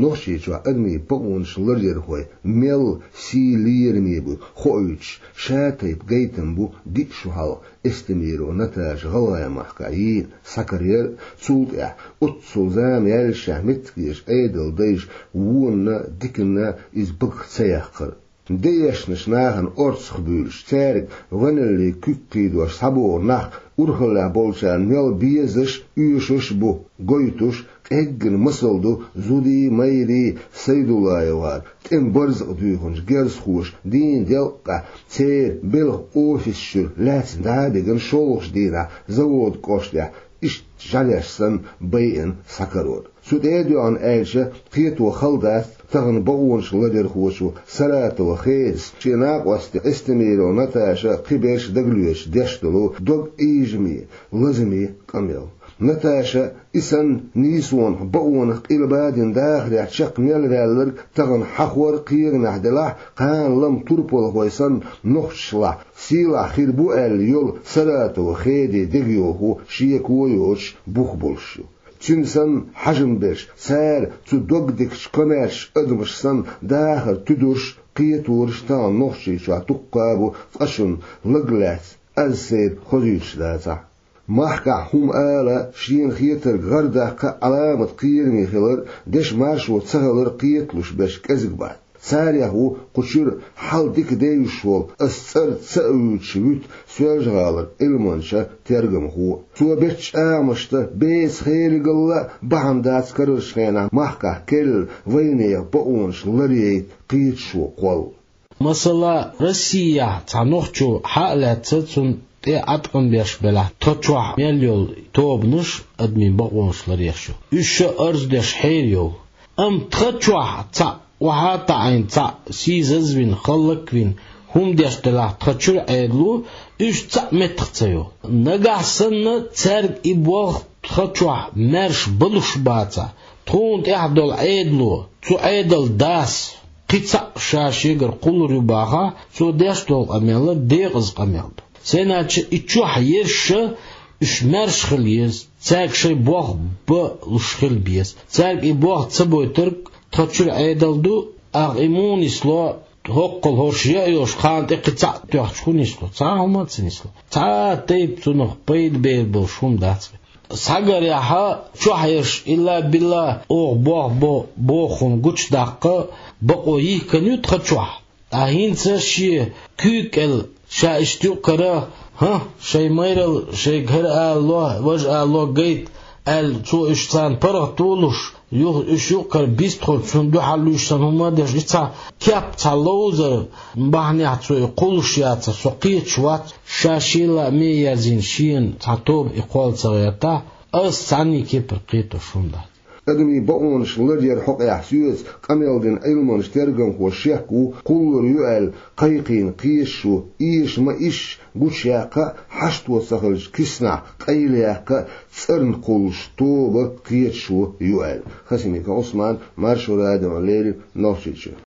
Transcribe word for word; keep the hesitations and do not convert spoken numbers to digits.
Нохчийчохь адамийн бакъонаш ларъярхой мел сий лераме бу хоуьйтуш, шатайпа гайтам бу диъ шу хьалха Эстемирова Наташа ГӀалгӀай махкахь йийна схьакараяр а, цул тӀаьхьа оццул зама яьллашехь меттигерчу Ӏедалан дайша вонна, диканна иза багах ца яккхар а. Де эшначу нахана орцах буьйлуш, цаьрга гӀоьналлин куьг кхийдош схьабогӀу нах урхаллехь болчарна мел безаш а, оьшуш а бу гойтуш, къеггина масал ду зудий, майрий Сайдуллаевгара тӀеман барзакъ дуьйхинчу герзахоша дийнан делкъехь, церан белхан офисаш чуьра лаьцна дӀа а бигина, шолгӀачу дийнахь Заводскан кӀоштахь иштта жӀаьлеш санна байина схьакарор. Цу тӀе а доьгӀна аьлча, кхето хала дац тахана бакъонаш ларъярхочо Саратова Хедас шен накъостий Эстемирова Наташа кхиберш дагалоьцуш деш долу дог ийжаме, лазаме къамел. Наташа и санна нийсонах, бакъонах къилба дина дахарехь чекх мел ваьлларг тахана хьахор а кхерамехь делахь а, кхана-лама турпалхой санна нохчашлахь сийлахь хир бу аьлла йолу Саратова Хедан дегайовхо шеко а йоцуш бух болуш ю. Цуьнан санна хьажам берш, цара цу догдикачу комаьршачу адамаш санна дахар туьдурш, кхетарш тахана Нохчийчохь дуккха а бу, цкъачунна лаг лаьцна аз сайна хозуьйтуш дацахь а. Махкахь хӀума ала, шена хетарг гӀардаккха а Ӏаламат кхераме хилар, дешан маршо ца хилар кхеталуш берш кӀезиг бац. Царех ву кху чуьра хьал дика девзаш волу, ас цӀарца ца а вуьйцуш вуьту Соьлжа-ГӀалара Ӏилманча тергамхо. Цо бечу чӀагӀамашца беца херигалла а бахьана дац карарчу хенахь махкахь керла вайнехан бакъонаш ларъяйта кхеташо кхолла. Масала, Россехь цхьа нохчо хьа а лаьцна, цунна тӀе Ӏаткъам беш белахь, тхан чохь мел йолу тобанаш адамийн бакъонаш ларъеш ю. Уьш ша арз деш хьерайовлу. Амма тхан чохь цхьаъ охьа а таӀийна, цхьаъ сийсазвина, хӀаллаквина хӀума деш делахь тхан чуьра Ӏедало, уьш цхьаъ меттах ца йо. Нагахь санна цаьрга и болх тхан чохь маьрша балуш бацахь, тхуна тӀехь долу Ӏедало, цу Ӏедалан дас кхин цхьаъ ша шегара кхуллур ю бахахь, цо деш долу къамел декъаза къамел ду. Сеннача и чохь ерш уьш маьрша хила еза, цаьрга шайн болх балуш хила беза. Цаьрга и болх ца бойтург тхан чуьра Ӏедал ду, аха и муха нисло, хӀоккхул хӀорш яа йолуш, кхана тӀе кхин цхьаъ тоьхча хӀун нисло? Цхьа а хӀума а ца нисло. Цхьа а тайпа цунах пайда бер болуш хӀума дац вайн. Схьагарехь, чохь ерш илла-билла оха болх бо боху хӀума гучудаккха бакъо йихкина ю тхан чохь. Ткъа хӀинца шен куьйга кӀел ша иштта юкъ кара, хӀа, шайн майралла шайга хӀара ала ло, важа ала ло гайта аьлла, цо уьш царна паргӀат а луш, юха уьш юкъара бистхуьлу, цунна дуьхьал луьйш санна хӀума а деш, и цхьа кеп, цхьа ловзар бахьанехь цо и кхуллуш яцара, со кхеташ вац, ша шен лааме ерзийна шена цхьа тоба и кхолла ца гӀертахь, ас цхьанний кепара кхетош хӀума дац. Адамийн бакъонаш ларъяран хьокъехь соьца къамел дина Ӏилманча тергамхо шек ву, кхуллур ю аьлла кхайкхийна кхеташо, эша ма-эшша гучуяккха а, хьашто ца хилча киснахь къайлаяккха а цӀарна кхуллуш тоба кхеташо ю аьлла. Хасимиков Ӏусман, Маршо радиона леррина, Нохчийчоь.